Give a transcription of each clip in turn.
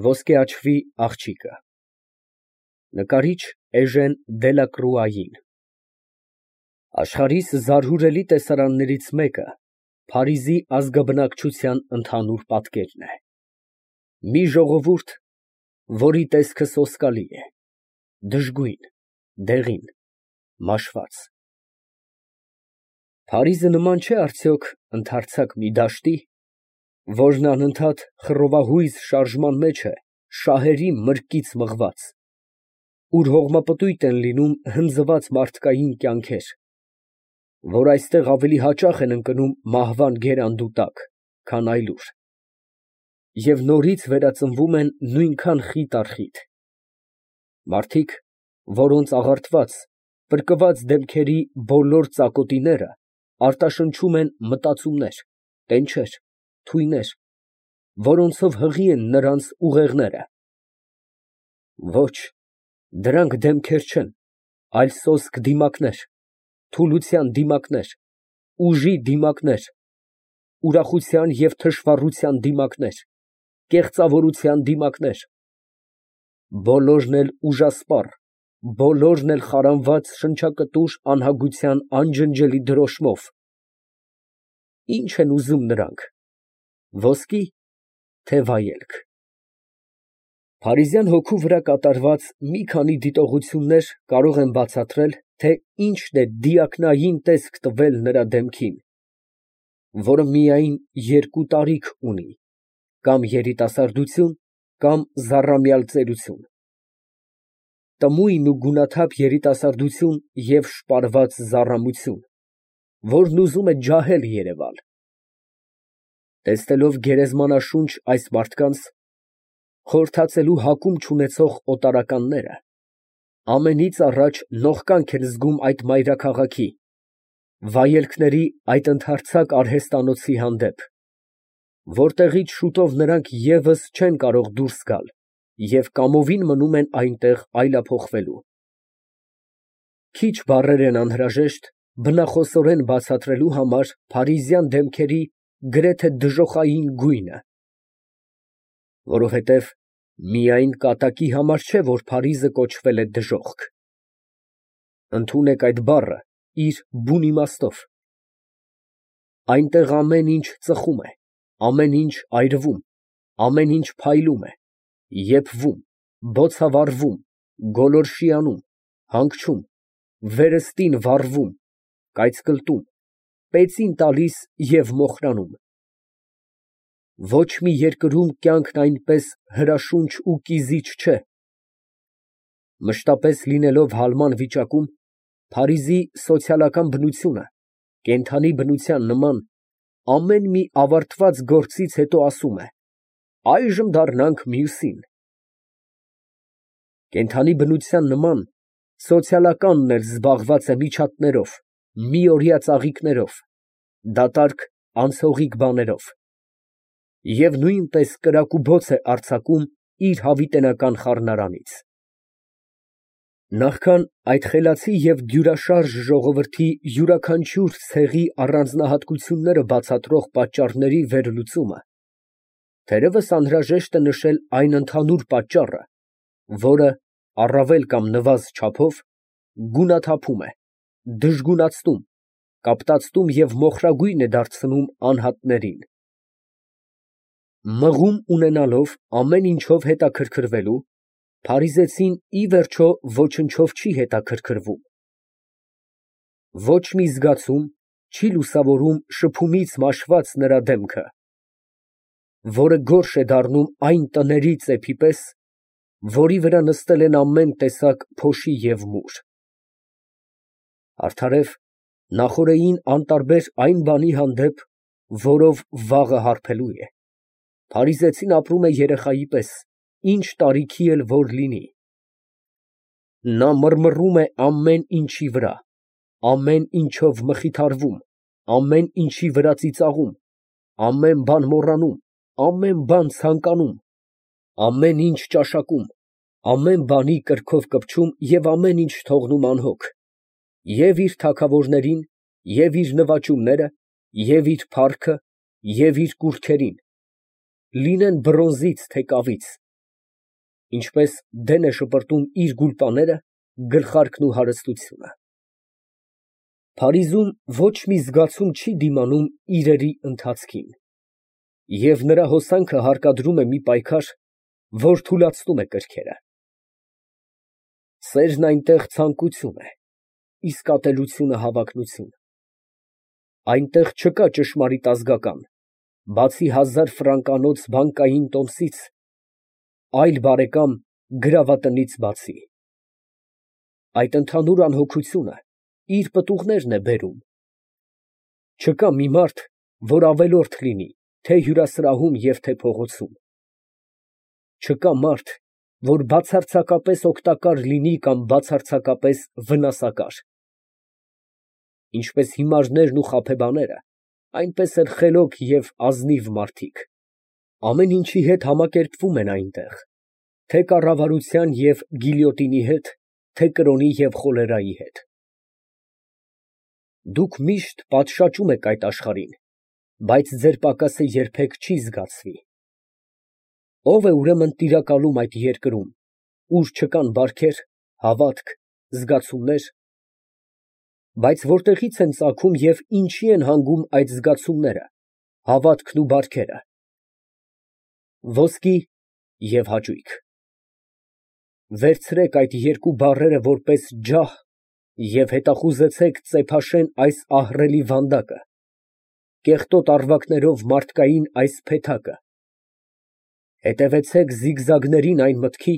Ոսկե աչքի աղջիկը։ Նկարիչ Էժեն Դելակրուային։ Աշխարհիս զարհուրելի տեսարաններից մեկը Փարիզի ազգաբնակչության ընդհանուր պատկերն է։ Մի ժողովուրդ, որի տեսքը սոսկալի է, դժգույն, դեղին, մաշված։ Փարիզը նման չէ արդյոք ընդարձակ մի դաշտի, որն անընդհատ խռովահույզ շարժման մեջ է շահերի մրկից մղված, ուր հողմապտույտ են լինում հնձված մարդկային կյանքեր, որ այստեղ ավելի հաճախ են ընկնում մահվան գերանդու տակ, քան այլուր, և նորից վերածնվում են նույնքան խիտ առ խիտ։ Մարդիկ, որոնց աղարտված, պրկված դեմքերի բոլոր ծակոտիները արտաշնչում են մտածումներ, տենչեր, թույներ, որոնցով հղի են նրանց ուղեղները։ Ոչ, դրանք դեմքեր չեն, այլ սոսկ դիմակներ, թուլության դիմակներ, ուժի դիմակներ, ուրախության և թշվառության դիմակներ, կեղծավորության դիմակներ, բոլորն էլ ուժասպառ, բոլորն էլ խարանված շնչակտուր անհագության անջնջելի դրոշմով։ Ի՞նչ են ուզում նրանք, ոսկի, թե վայելք։ Փարիզյան հոգու վրա կատարված մի քանի դիտողություններ կարող են բացատրել, թե ինչն է դիակնային տեսք տվել նրա դեմքին, որը միայն երկու տարիք ունի, կամ երիտասարդություն, կամ զառամյալ ծերություն։ Տմույն ու գունաթափ երիտասարդություն և շպարված զառամություն, որն ուզում է ջահել երևալ։ Տեսնելով գերեզմանաշունչ այս մարդկանց, խորհրդածելու հակում չունեցող օտարականները, ամենից առաջ նողկանք են զգում այդ մայրաքաղաքի, վայելքների այդ ընդարձակ արհեստանոցի հանդեպ, որտեղից շուտով նրանք ևս չեն կարող դուրս գալ և կամովին մնում են այնտեղ այլափոխվելու։ Քիչ բառեր են անհրաժեշտ բնախոսորեն բացատրելու համար փարիզյան դեմքերի գրեթե դժոխային գույնը, որովհետև միայն կատակի համար չէ, որ Փարիզը կոչվել է դժոխք։ Ընդունեք այդ բառը իր բուն իմաստով։ Այնտեղ ամեն ինչ ծխում է, ամեն ինչ այրվում, ամեն ինչ փայլում է, եփվում, բոցավառվում, գոլորշիանում, հանգչում, վերստին վառվում, կայծկլտում, պեցին տալիս և մոխրանում։ Ոչ մի երկրում կյանքն այնպես հրաշունչ ու կիզիչ չէ։ Մշտապես լինելով հալման վիճակում, Փարիզի սոցիալական բնությունը, կենդանի բնության նման, ամեն մի ավարտված գործից հետո ասում է. «Այժմ դառնանք մյուսին»։ Կենդանի բնության նման, սոցիալականն էլ զբաղված է միջատներով, միօրյա ծաղիկներով, դատարկ անցողիկ բաներով, և նույնպես կրակուբոց է արձակում իր հավիտենական խառնարանից։ Նախքան այդ խելացի և դյուրաշարժ ժողովրդի յուրաքանչյուր ցեղի առանձնահատկությունները բացատրող պատճառների վերլուծումը, թերևս անհրաժեշտ է նշել այն ընդհանուր պատճառը, որը, առավել կամ նվազ չափով, գունաթափում է, դժգունացնում, կապտացնում և մոխրագույն է դարձնում անհատներին։ Մղում ունենալով ամեն ինչով հետաքրքրվելու, փարիզեցին ի վերջո ոչնչով չի հետաքրքրվում։ Ոչ մի զգացում չի լուսավորում շփումից մաշված նրա դեմքը, որը գորշ է դառնում այն տների ծեփի պես, որի վրա նստել են ամեն տեսակ փոշի և մուր։ Արդարև, նախօրեին անտարբեր այն բանի հանդեպ, որով վաղը հարբելու է, փարիզեցին ապրում է երեխայի պես, ինչ տարիքի էլ որ լինի։ Նա մռմռում է ամեն ինչի վրա, ամեն ինչով մխիթարվում, ամեն ինչի վրա ծիծաղում, ամեն բան մոռանում, ամեն բան ցանկանում, ամեն ինչ ճաշակում, ամեն բանի կրքով կպչում և ամեն ինչ թողնում անհոգ, և իր թագավորներին, և իր նվաճումները, և իր փառքը, և իր կուռքերին, լինեն բրոնզից, թե կավից, Ինչպես դեն է շպրտում իր գուլպաները, գլխարկն ու հարստությունը։ Փարիզում ոչ մի զգացում չի դիմանում իրերի ընթացքին, և նրա հոսանքը հարկադրում է մի պայքար, որ թուլացնում է կրքերը։ Սերն այնտեղ ցանկություն է, իսկ ատելությունը հավակնություն։ Այնտեղ չկա ճշմարիտ ազգական, բացի 1000 ֆրանկանոց բանկային տոմսից, այլ բարեկամ գրավատնից բացի։ Այդ ընդհանուր անհոգությունը իր պտուղներն է բերում։ Չկա մի մարդ, որ ավելորդ լինի թե հյուրասրահում և թե փողոցում։ Չկա մարդ, որ բացարձակապես օգտակար լինի կամ բացարձակապես վնասակար։ Ինչպես հիմարներն ու խաբեբաները, այնպես էլ խելոք և ազնիվ մարդիկ ամեն ինչի հետ համակերպվում են այնտեղ, թե կառավարության և գիլյոտինի հետ, թե կրոնի և խոլերայի հետ։ Դուք միշտ պատշաճում եք այդ աշխարհին, բայց ձեր պակասը երբեք չի զգացվի։ Ո՞վ է ուրեմն տիրակալում այդ երկրում, ուր չկան բարքեր, հավատք, զգացումներ, բայց որտեղի՞ց են ծագում և ինչի են հանգում այդ զգացումները, հավատքն ու բարքերը։ Ոսկի և հաճույք։ Վերցրեք այդ երկու բառերը որպես ջահ և հետախուզեցեք ծեփաշեն այս ահռելի վանդակը, կեղտոտ առվակներով մարդկային այս փեթակը, հետևեցեք զիգզագներին այն մտքի,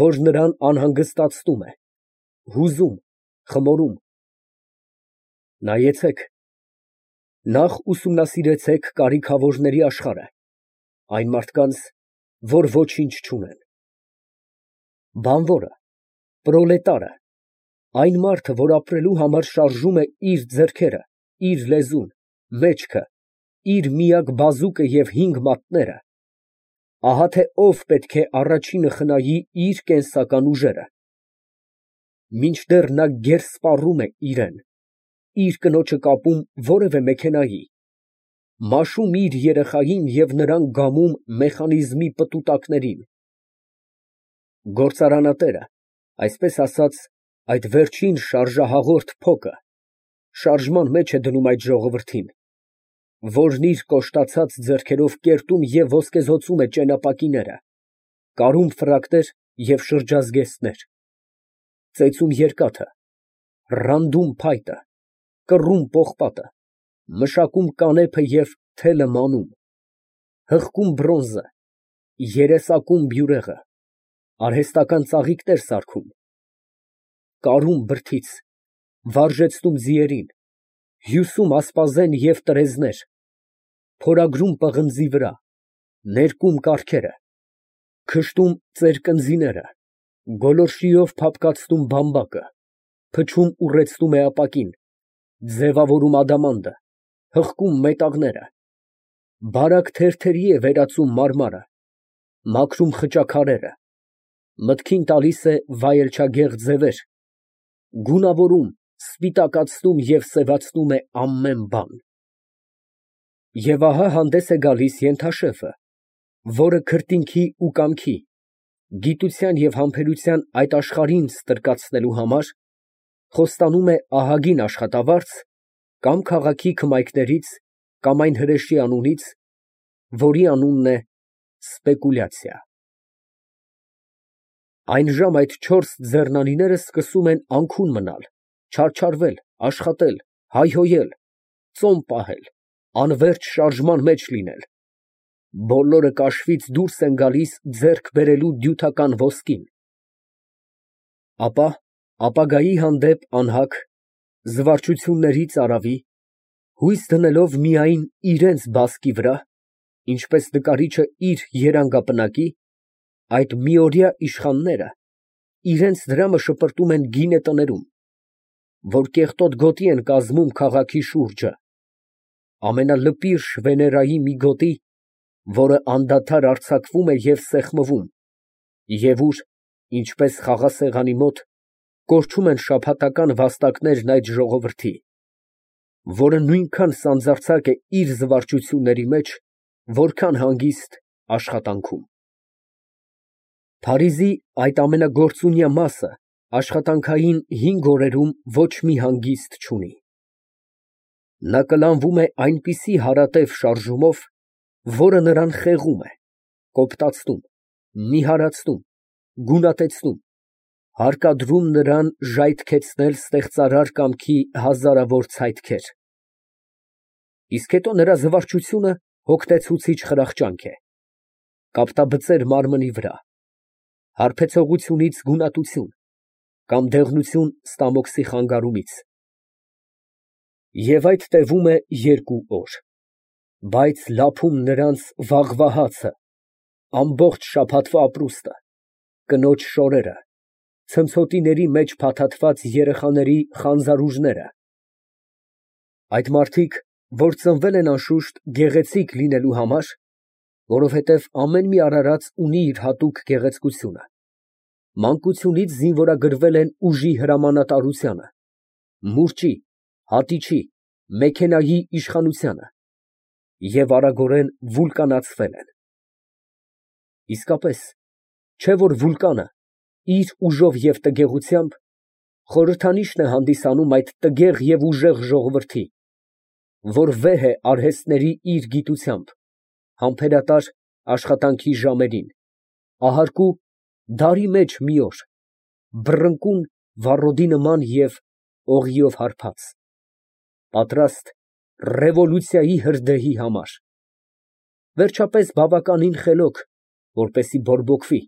որ նրան անհանգստացնում է, հուզում, խմորում։ Նայեցեք, նախ ուսումնասիրեցեք կարիքավորների աշխարհը, այն մարդկանց, որ ոչինչ չունեն։ Բանվորը, պրոլետարը, այն մարդը, որ ապրելու համար շարժում է իր ձեռքերը, իր լեզուն, մեջքը, իր միակ բազուկը և 5 մատները, ահա թե ով պետք է առաջինը խնայի իր կենսական ուժերը։ Մինչդեռ նա գերսպառում է իրան, իր կնոջը կապում որևէ մեքենայի, մաշում իր երեխային և նրան գամում մեխանիզմի պտուտակներին, գործարանատերը, այսպես ասած, այդ վերջին շարժահաղորդ փոկը, շարժման մեջ է դնում այդ ժողովրդին, որն իր կոշտացած ձեռքերով կերտում և ոսկեզօծում է ճենապակիները, կարում ֆրակներ և շրջազգեստներ, ծեծում երկաթը, ռանդում փայտը, կռում պողպատը, մշակում կանեփը և թելը մանում, հղկում բրոնզը, երեսակում բյուրեղը, արհեստական ծաղիկներ սարքում, կարում բրդից, վարժեցնում ձիերին, հյուսում ասպազեն և տրեզներ, փորագրում պղնձի վրա, ներկում կառքերը, քշտում ծերկնձիները, գոլորշիով փափկացնում բամբակը, փչում ուռեցնում է ապակին, ձևավորում ադամանդը, հղկում մետաղները, բարակ թերթերի է վերածում մարմարը, մաքրում խճաքարերը, մտքին տալիս է վայելչագեղ ձևեր, գունավորում, սպիտակացնում և սևացնում է ամեն բան։ Եվ ահա հանդես է գալիս ենթաշեֆը, որը քրտինքի ու կամքի, գիտության և համբերության այդ աշխարհին ստրկացնելու համար խոստանում է ահագին աշխատավարձ կամ քաղաքի քմայքներից, կամ այն հրեշի անունից, որի անունն է սպեկուլյացիա։ Այն ժամ այդ 4 ձեռնանիները սկսում են անքուն մնալ, չարչարվել, աշխատել, հայհոյել, ծոմ պահել, անվերջ շարժման մեջ լինել, բոլորը կաշվից դուրս են գալիս ձեռք բերելու դյութական ոսկին, ապա ապագայի հանդեպ անհագ, զվարճությունների ծարավի, հույս դնելով միայն իրենց բասկի վրա, ինչպես նկարիչը իր երանգապնակի, այդ միօրյա իշխանները իրենց դրամը շպրտում են գինե տներում, որ կեղտոտ գոտի են կազմում քաղաքի շուրջը, ամենալպիրշ Վեներայի մի գոտի, որը անդադար արձակվում է և սեղմվում, և ուր, ինչպես խաղասեղանի մոտ, կորչում են շաբաթական վաստակներն այդ ժողովրդի, որը նույնքան սանձարձակ է իր զվարճությունների մեջ, որքան հանգիստ աշխատանքում։ Փարիզի այդ ամենագործունյա մասը աշխատանքային 5 օրերում ոչ մի հանգիստ չունի։ Նա կլանվում է այնպիսի հարատև շարժումով, որը նրան խեղում է, կոպտացնում, նիհարացնում, գունատեցնում, հարկադրում նրան ժայթքեցնել ստեղծարար կամքի հազարավոր ցայտքեր։ Իսկ հետո նրա զվարճությունը հոգնեցուցիչ խրախճանք է, կապտաբծեր մարմնի վրա, հարբեցողությունից գունատություն կամ դեղնություն ստամոքսի խանգարումից։ Եվ այդ տևում է 2 օր, բայց լափում նրանց վաղվա հացը, ամբողջ շաբաթվա ապրուստը, կնոջ շորերը, ցնցոտիների մեջ փաթաթված երեխաների խանձարուժները։ Այդ մարդիկ, որ ծնվել են անշուշտ գեղեցիկ լինելու համար, որովհետև ամեն մի արարած ունի իր հատուկ գեղեցկությունը, մանկությունից զինվորագրվել են ուժի հրամանատարությանը, մուրճի, հատիչի, մեքենայի իշխանությանը և արագորեն վուլկանացվել են։ Իսկապես, չէ՞ որ վուլկանը իր ուժով և տգեղությամբ խորհրդանիշն է հանդիսանում այդ տգեղ և ուժեղ ժողովրդի, որ վեհ է արհեստների իր գիտությամբ, համբերատար աշխատանքի ժամերին, ahարկու դարի մեջ մի օր, բռնկուն վառոդի նման և օղիով հարբած, պատրաստ ռևոլյուցիայի հրդեհի համար, վերջապես բավականին խելոք, որպեսզի բորբոքվի,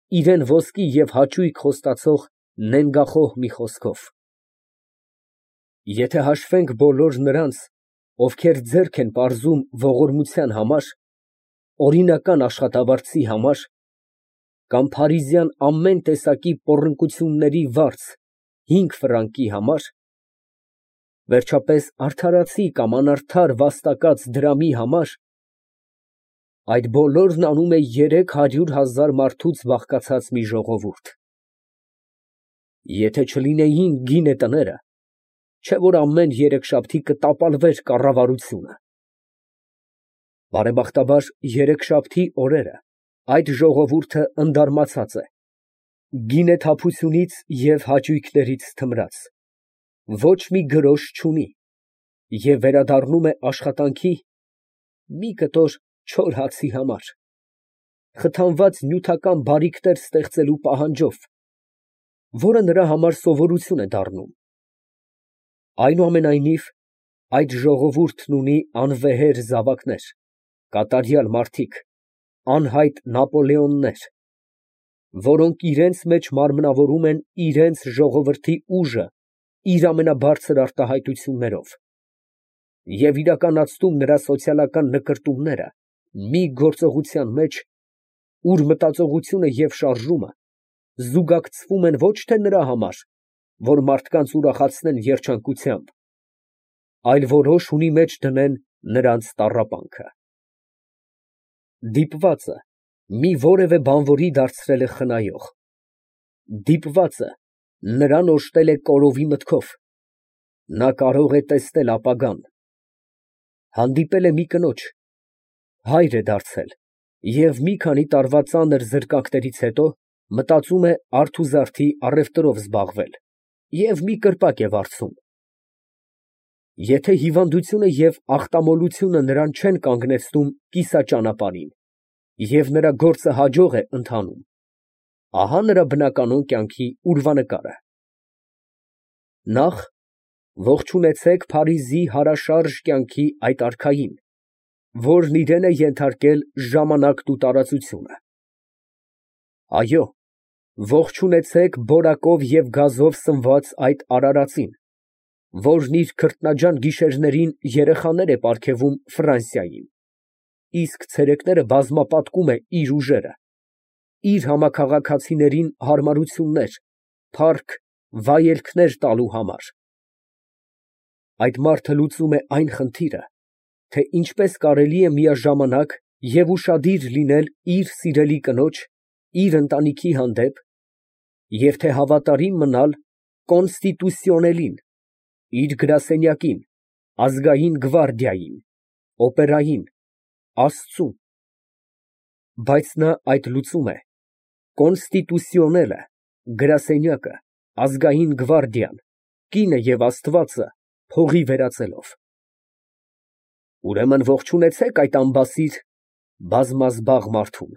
իրան ոսկի և հաճույք խոստացող նենգախոհ մի խոսքով։ Եթե հաշվենք բոլոր նրանց, ովքեր ձեռք են պարզում ողորմության համար, օրինական աշխատավարձի համար, կամ փարիզյան ամեն տեսակի պոռնկությունների վարձ 5 ֆրանկի համար, վերջապես արդարացի կամ անարդար վաստակած դրամի համար, այդ բոլորն անում է 300,000 մարդուց բաղկացած մի ժողովուրդ։ Եթե չլինեին գինե տները, չէ՞ որ ամեն երեքշաբթի կտապալվեր կառավարությունը։ Բարեբախտաբար, երեքշաբթի օրերը այդ ժողովուրդը ընդարմացած է, գինեթափությունից և հաճույքներից թմրած, ոչ մի գրոշ չունի և վերադառնում է աշխատանքի մի կտոր չոր հացի համար, խթանված նյութական բարիքներ ստեղծելու պահանջով, որը նրա համար սովորություն է դառնում։ Այնուամենայնիվ, այդ ժողովուրդն ունի անվեհեր զավակներ, կատարյալ մարդիկ, անհայտ Նապոլեոններ, որոնք իրենց մեջ մարմնավորում են իրենց ժողովրդի ուժը իր ամենաբարձր արտահայտություններով և իրականացնում նրա սոցիալական նկրտումները մի գործողության մեջ, ուր մտածողությունը և շարժումը զուգակցվում են ոչ թե նրա համար, որ մարդկանց ուրախացնեն երջանկությամբ, այլ որոշ ունի մեջ դնեն նրանց տառապանքը։ Դիպվածը մի որևէ բանվորի դարձրել է խնայող, դիպվածը նրան օժտել է կորովի մտքով, նա կարող է տեսնել ապագան, հանդիպել է մի կնոջ, հայր է դարձել և մի քանի տարվա ծանր զրկանքներից հետո մտածում է արթուզարդի առևտրով զբաղվել և մի կրպակ է վարձում։ Եթե հիվանդությունը և ախտամոլությունը նրան չեն կանգնեցնում կիսաճանապարհին և նրա գործը հաջող է ընթանում, ահա նրա բնականոն կյանքի ուրվանկարը։ Նախ ողջունեցեք Փարիզի հարաշարժ կյանքի այդ արքային, որն իրան է ենթարկել ժամանակն ու տարածությունը։ Այո, ողջունեցեք բորակով և գազով սնված այդ արարածին, որն իր քրտնաջան գիշերներին երեխաներ է պարգևում Ֆրանսիային, իսկ ցերեկները բազմապատկում է իր ուժերը, իր համաքաղաքացիներին հարմարություններ, փառք, վայելքներ տալու համար։ Այդ մարդը լուծում է այն խնդիրը, թե ինչպես կարելի է միաժամանակ և ուշադիր լինել իր սիրելի կնոջ, իր ընտանիքի հանդեպ և թե հավատարիմ մնալ կոնստիտուսիոնելին, իր գրասենյակին, ազգային գվարդիային, օպերային, Աստծուն։ Բայց նա այդ լուծում է Կոնստիտուցիոնելը, գրասենյակը, ազգային գվարդիան, կինը և Աստվածը փողի վերածելով։ Ուրեմն ողջունեցեք այդ անբասիր բազմազբաղ մարդուն։